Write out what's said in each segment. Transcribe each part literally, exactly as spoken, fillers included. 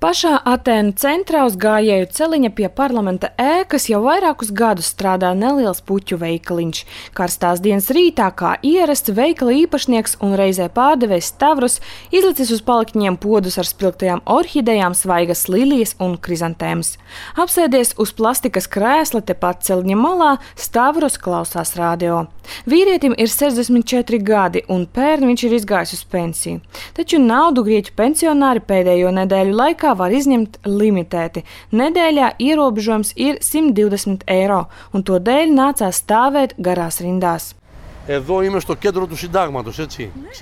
Pašā Atēnu centrā uz gājēju celiņa pie parlamenta ēkas jau vairākus gadus strādā neliels puķu veikaliņš. Karstās dienas rītā, kā ierasts, veikala īpašnieks un reizē pārdevējs Stavros izlicis uz palikņiem podus ar spilgtajām orhidejām, svaigas lilijas un krizantēmas. Apsēdies uz plastikas krēsla tepat celiņa malā, Stavros klausās radio. Vīrietim ir sešdesmit četri gadi un pērn viņš ir izgājis uz pensiju. Taču naudu grieķu pensionāri pēdējo nedēļu laikā var izņemt limitēti. Nedēļā ierobežojums ir simt divdesmit eiro, un to dēļ nācās stāvēt garās rindās.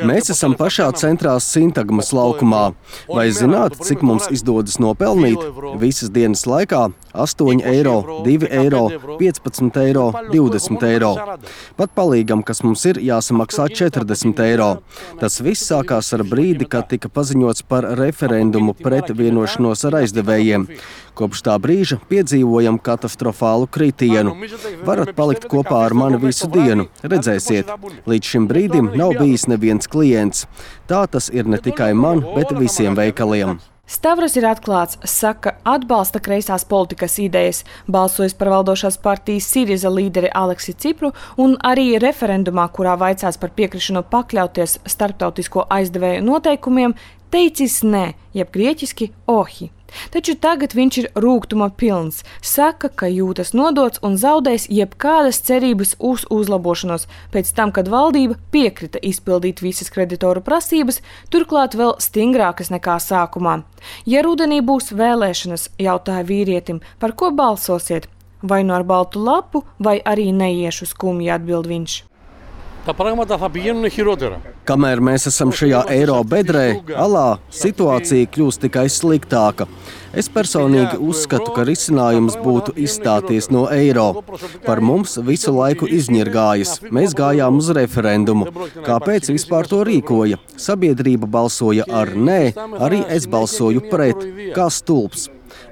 Mēs esam pašā centrā Sintagmas laukumā. Vai zināt, cik mums izdodas nopelnīt? Visas dienas laikā astoņi eiro, divi eiro, piecpadsmit eiro, divdesmit eiro. Pat palīgam, kas mums ir, jāsamaksā četrdesmit eiro. Tas viss sākās ar brīdi, kad tika paziņots par referendumu pret vienošanos ar aizdevējiem. Kopš tā brīža piedzīvojam katastrofālu kritienu. Varat palikt kopā ar mani visu dienu, redzēsiet. Līdz šim brīdim nav bijis neviens klients. Tā tas ir ne tikai man, bet visiem veikaliem. Stavros ir atklāts, saka, atbalsta kreisās politikas idejas, balsojis par valdošās partijas Siriza līderi Aleksi Cipru un arī referendumā, kurā vaicās par piekrišanu pakļauties starptautisko aizdevēju noteikumiem, teicis nē, jeb grieķiski ohi. Taču tagad viņš ir rūgtuma pilns. Saka, ka jūtas nodots un zaudējis jebkādas cerības uz uzlabošanos pēc tam, kad valdība piekrita izpildīt visas kreditoru prasības, turklāt vēl stingrākas nekā sākumā. Ja rudenī būs vēlēšanas, jautāja vīrietim, par ko balsosiet? Vai nu ar baltu lapu, vai arī neiešu skumji, atbild viņš. Kamēr mēs esam šajā eiro bedrē, alā situācija kļūst tikai sliktāka. Es personīgi uzskatu, ka risinājums būtu izstāties no eiro. Par mums visu laiku izņirgājas. Mēs gājām uz referendumu. Kāpēc vispār to rīkoja? Sabiedrība balsoja ar nē, arī es balsoju pret. Kā stulbs.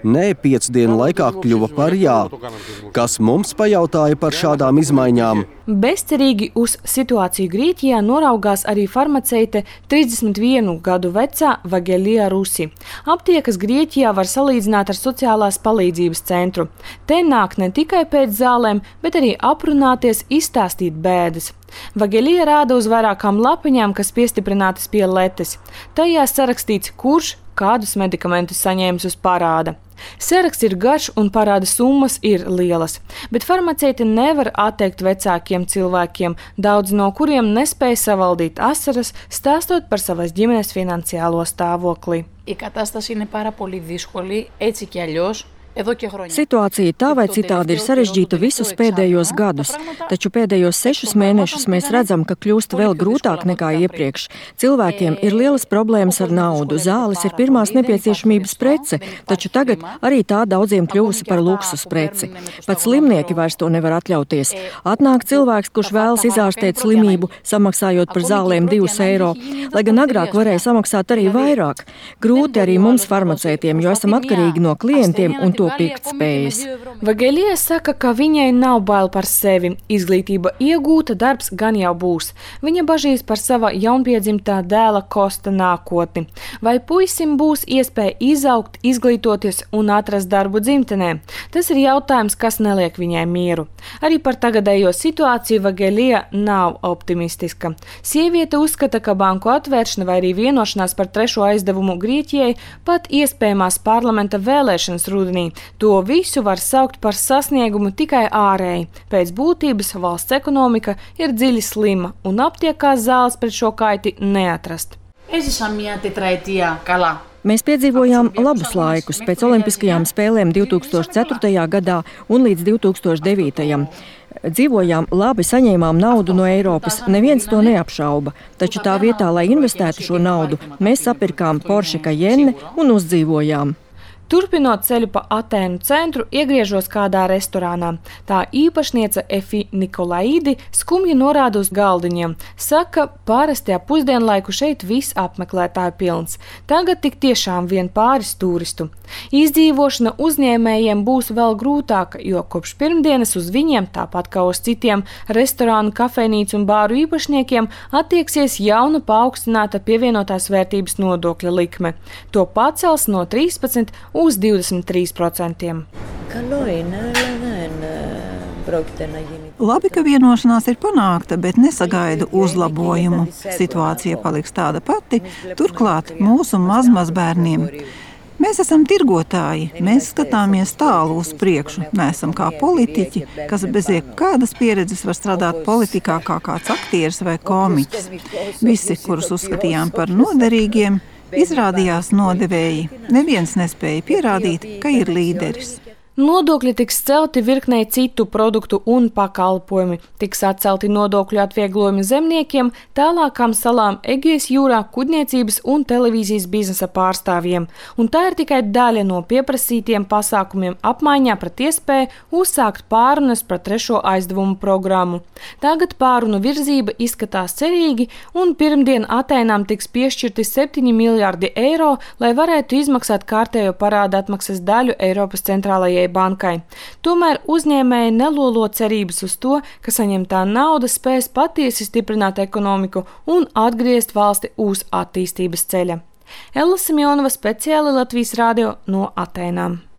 Nē, piecu dienu laikā kļuva par jā. Kas mums pajautāja par šādām izmaiņām? Bezcerīgi uz situāciju Grieķijā noraugās arī farmaceite trīsdesmit vienu gadu vecā Vagelija Rusi. Aptiekas Grieķijā var salīdzināt ar sociālās palīdzības centru. Te nāk ne tikai pēc zālēm, bet arī aprunāties, izstāstīt bēdas. Vagelija rāda uz vairākām lapiņām, kas piestiprinātas pie letes. Tajā sarakstīts, kurš kādus medikamentus saņēmis uz parāda. Saraksts ir garš un parāda summas ir lielas, bet farmaceite nevar atteikt vecākiem cilvēkiem, daudz no kuriem nespēja savaldīt asaras, stāstot par savas ģimenes finansiālo stāvokli. Η κατάσταση είναι πάρα πολύ δύσκολη, έτσι κι αλλιώς. Situācija tā vai citādi ir sarežģīta visus pēdējos gadus, taču pēdējos sešus mēnešus mēs redzam, ka kļūst vēl grūtāk nekā iepriekš. Cilvēkiem ir lielas problēmas ar naudu, zāles ir pirmās nepieciešamības prece, taču tagad arī tā daudziem kļuvusi par luksus preci. Pat slimnieki vairs to nevar atļauties. Atnāk cilvēks, kurš vēlas izārstēt slimību, samaksājot par zālēm divus eiro, lai gan agrāk varēja samaksāt arī vairāk. Grūti arī mums farmaceitiem, jo esam atkarīgi no klientiem un to pirktspējas. Vagelija saka, ka viņai nav bail par sevi. Izglītība iegūta, darbs gan jau būs. Viņa bažīs par sava jaunpiedzimtā dēla Kosta nākotni. Vai puisim būs iespēja izaugt, izglītoties un atrast darbu dzimtenē? Tas ir jautājums, kas neliek viņai mieru. Arī par tagadējo situāciju Vagelija nav optimistiska. Sieviete uzskata, ka banku atvēršana vai arī vienošanās par trešo aizdevumu Grieķijai, pat iespējamās parlamenta vēlēšanas rudenī, to visu var saukt par sasniegumu tikai ārēji. Pēc būtības valsts ekonomika ir dziļi slima un aptiekās zāles pret šo kaiti neatrast. Mēs piedzīvojām labus laikus pēc Olimpiskajām spēlēm divi tūkstoši ceturtajā gadā un līdz divi tūkstoši devītajam. Dzīvojām labi, saņēmām naudu no Eiropas, neviens to neapšauba. Taču tā vietā, lai investētu šo naudu, mēs sapirkām Porsche Cayenne un uzdzīvojām. Turpinot ceļu pa Atēnu centru, iegriežos kādā restorānā. Tā īpašniece Efi Nikolaidi skumji norāda uz galdiņiem. Saka, parasti ap pusdienlaiku šeit viss apmeklētāju pilns. Tagad tik tiešām vien pāris turistu. Izdzīvošana uzņēmējiem būs vēl grūtāka, jo kopš pirmdienas uz viņiem, tāpat kā uz citiem restorānu, kafejnīcu un bāru īpašniekiem, attieksies jauna paaugstināta pievienotās vērtības nodokļa likme. To pacels no trīspadsmit uz divdesmit trīs procentiem. Labi, ka vienošanās ir panākta, bet nesagaidu uzlabojumu. Situācija paliks tāda pati, turklāt mūsu mazmazbērniem. Mēs esam tirgotāji, mēs skatāmies tālu uz priekšu, neesam kā politiķi, kas bez jebkādas pieredzes var strādāt politikā kā kāds aktieris vai komiķis. Visi, kurus uzskatījām par noderīgiem, izrādījās nodevēji. Neviens nespēja pierādīt, ka ir līderis. Nodokļi tiks celti virknei citu produktu un pakalpojumi. Tiks atcelti nodokļu atvieglojumi zemniekiem, tālākām salām Egejas jūrā, kuģniecības un televīzijas biznesa pārstāvjiem. Un tā ir tikai daļa no pieprasītiem pasākumiem apmaiņā pret iespēju uzsākt pārunas par trešo aizdevumu programmu. Tagad pārunu virzība izskatās cerīgi, un pirmdien Atēnām tiks piešķirti septiņi miljārdi eiro, lai varētu izmaksāt kārtējo parāda atmaksas daļu Eiropas centrālajai bankai. Tomēr uzņēmēji nelolo cerības uz to, ka saņemtā nauda spēs patiesi stiprināt ekonomiku un atgriezt valsti uz attīstības ceļa. Ella Simjonova, speciāli Latvijas radio no Atēnām.